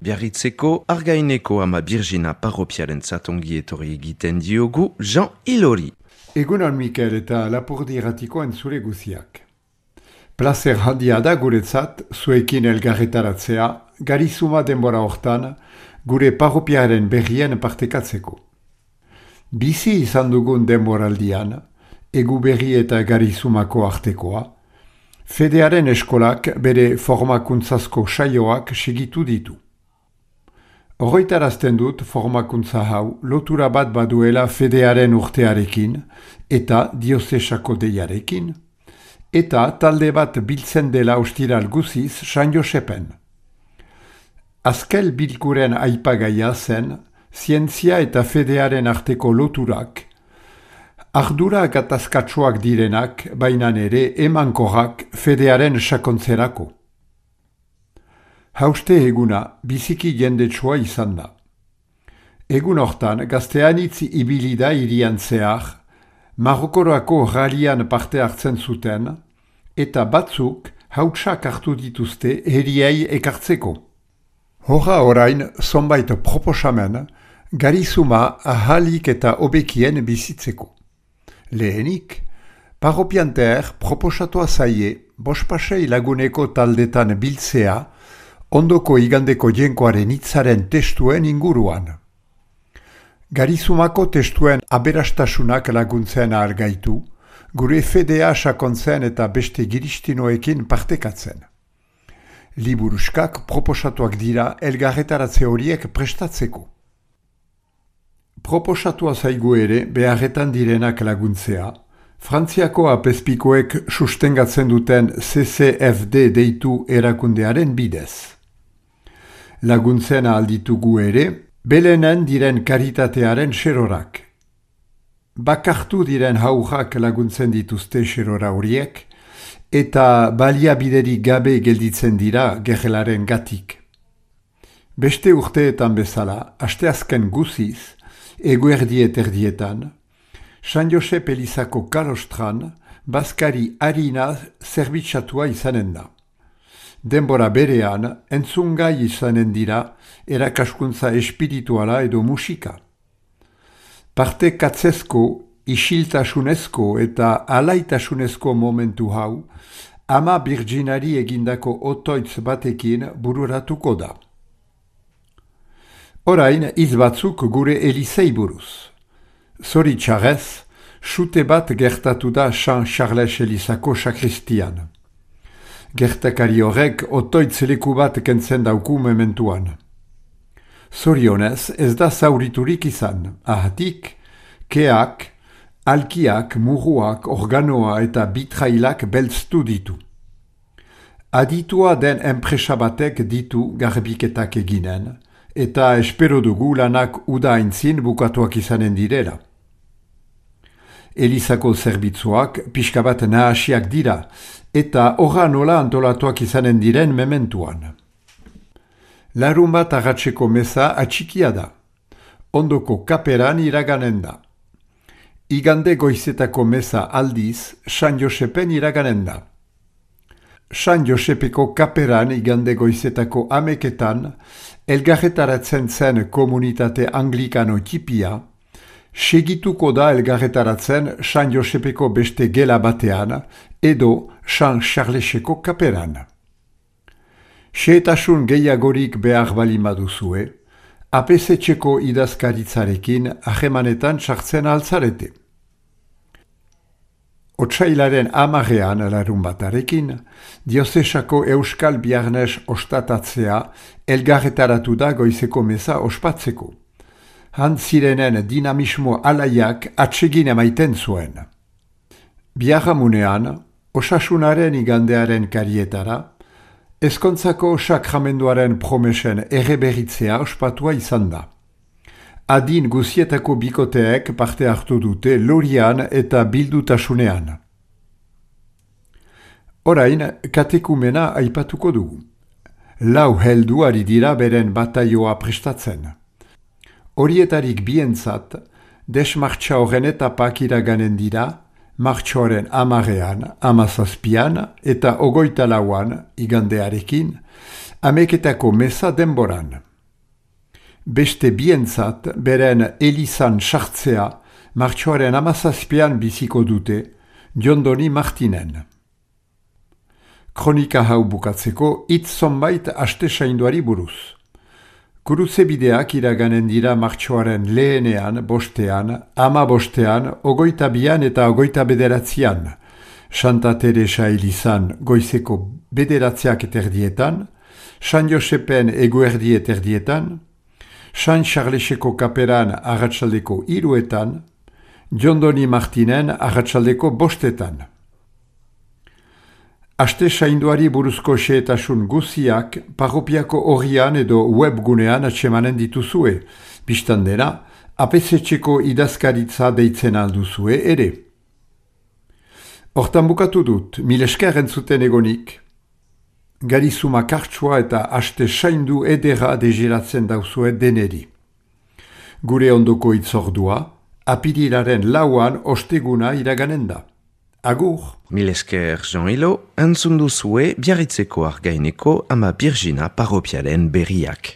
Biarritzeko Argaineko ama Birgina parropiaren zatongi etorri egiten diogu Jean Ilori. Egunon Mikel eta Lapurdi irratiko entzule guziak. Plazer handia da guretzat zuekin elgarretaratzea, garizuma denbora hortan gure parropiaren berrien partekatzeko. Bizi izan dugun denboraldian, egu berri eta garizumako artekoa, Fedearen eskolak bere formakuntzazko saioak segitu ditu. Horroitarazten dut formakuntza hau lotura bat baduela Fedearen urtearekin eta diozesako deiarekin, eta talde bat biltzen dela ostiral guziz San Josepen. Azkel bilkuren aipagaia zen, zientzia eta Fedearen arteko loturak, ardura gatazkatsuak direnak, bainan ere emankorrak Fedearen sakontzerako. Hauste eguna biziki jendetsua izan da. Egun hortan gazteanitz ibili da irian zehar, Marokorako ralian parte hartzen zuten, eta batzuk hautsak hartu dituzte heriei ekartzeko. Horra orain zonbait proposamen, garizuma ahalik eta obekien bizitzeko. Lehenik, parropianter proposatua zaie bospasei laguneko taldetan biltzea ondoko igandeko jenkoaren hitzaren testuen inguruan. Garizumako testuen aberastasunak laguntzen ahalgaitu, gure Fedea sakontzen eta beste giristinoekin partekatzen. Liburuskak proposatuak dira elgarretaratze horiek prestatzeko. Proposatua zaigu ere beharretan direnak laguntzea, Frantziako apezpikoek sustengatzen duten CCFD deitu erakundearen bidez. Laguntzen alditugu ere, belenen diren karitatearen xerorak. Bakartu diren haurrak laguntzen dituzte xerora horiek, eta baliabiderik gabe gelditzen dira gerelaren gatik. Beste urteetan bezala, asteazken guziz, eguerdiet erdietan, San Josep Elizako kalostran, bazkari harina zerbitzatua izanen da. Denbora berean, entzungai izanen dira erakaskuntza espirituala edo musika. Parte katzezko, isiltasunezko eta alaitasunezko momentu hau, ama Birginari egindako otoitz batekin bururatuko da. Orain, hitz batzuk gure Elizei buruz. Zoritxarrez, sute bat gertatu da San Charles Elizako sakristian. Gertakari horrek otoitz leku bat kentzen dauku mementuan. Zorionez ez da zauriturik izan, ahatik, keak, alkiak, muruak, organoa eta bitrailak belztu ditu. Aditua den enpresa batek ditu garbiketak eginen, eta espero dugu lanak uda aintzin bukatuak izanen direla. Elizako zerbitzuak pixka bat nahasiak dira, eta horra nola antolatuak izanen diren mementuan. Larun bat agatzeko meza atxikia da. Ondoko kaperan iraganen da. Igande goizetako meza aldiz, San Josepen iraganen da. San Josepeko kaperan igande goizetako ameketan, elgarretaratzen zen komunitate anglikano tipia, segituko da elgarretaratzen San Josepeko beste gela batean edo San Charleseko kaperan. Xehetasun gehiagorik behar bali maduzue, apesetxeko idazkaritzarekin ahemanetan sartzen altzarete. Otsailaren 10 larun batarekin, diozesako Euskal Biarnes ostatatzea elgarretaratu da goizeko meza ospatzeko. Han zirenen dinamismo alaiak atsegin emaiten zuen. Biarramunean, osasunaren igandearen karietara, ezkontzako sakramenduaren promesen erreberitzea ospatua izan da. Adin guzietako bikoteek parte hartu dute lorian eta bildutasunean. Orain, katekumena aipatuko dugu. 4 heldu ari dira beren bataioa prestatzen. Horietarik bientzat, desmartxa horren etapak iraganen dira, martxoaren 10, 17 eta 24 igandearekin, ameketako meza denboran. beste bientzat beren elizan sartzea martxoaren 17an biziko dute Jondoni Martinen. Kronika hau bukatzeko hitz zonbait aste sainduari buruz. Gurutze bideak iraganen dira martxoaren lehenean, bostean, 15ean, 22an eta 29an. Santa Teresa elizan goizeko 9:00 San Josepen eguerdi eterdietan, San Charleseko kaperan arratsaldeko 3:00, Jondoni Martinen arratsaldeko 5:00. Aste sainduari buruzko xehetasun guziak parropiako orrian edo webgunean atsemanen dituzue, bistan dena, apesetxeko idazkaritza deitzen alduzue ere. Hortan bukatu dut, mil esker entzuten egonik. Garizuma kartsua eta aste saindu edera degiratzen dauzue deneri. Gure ondoko itzordua, apirilaren 4an osteguna iraganen da. Agur! Mil esker Jean-Hilo, entzun duzue Biarritzeko Argaineko ama Birjina parropialen berriak.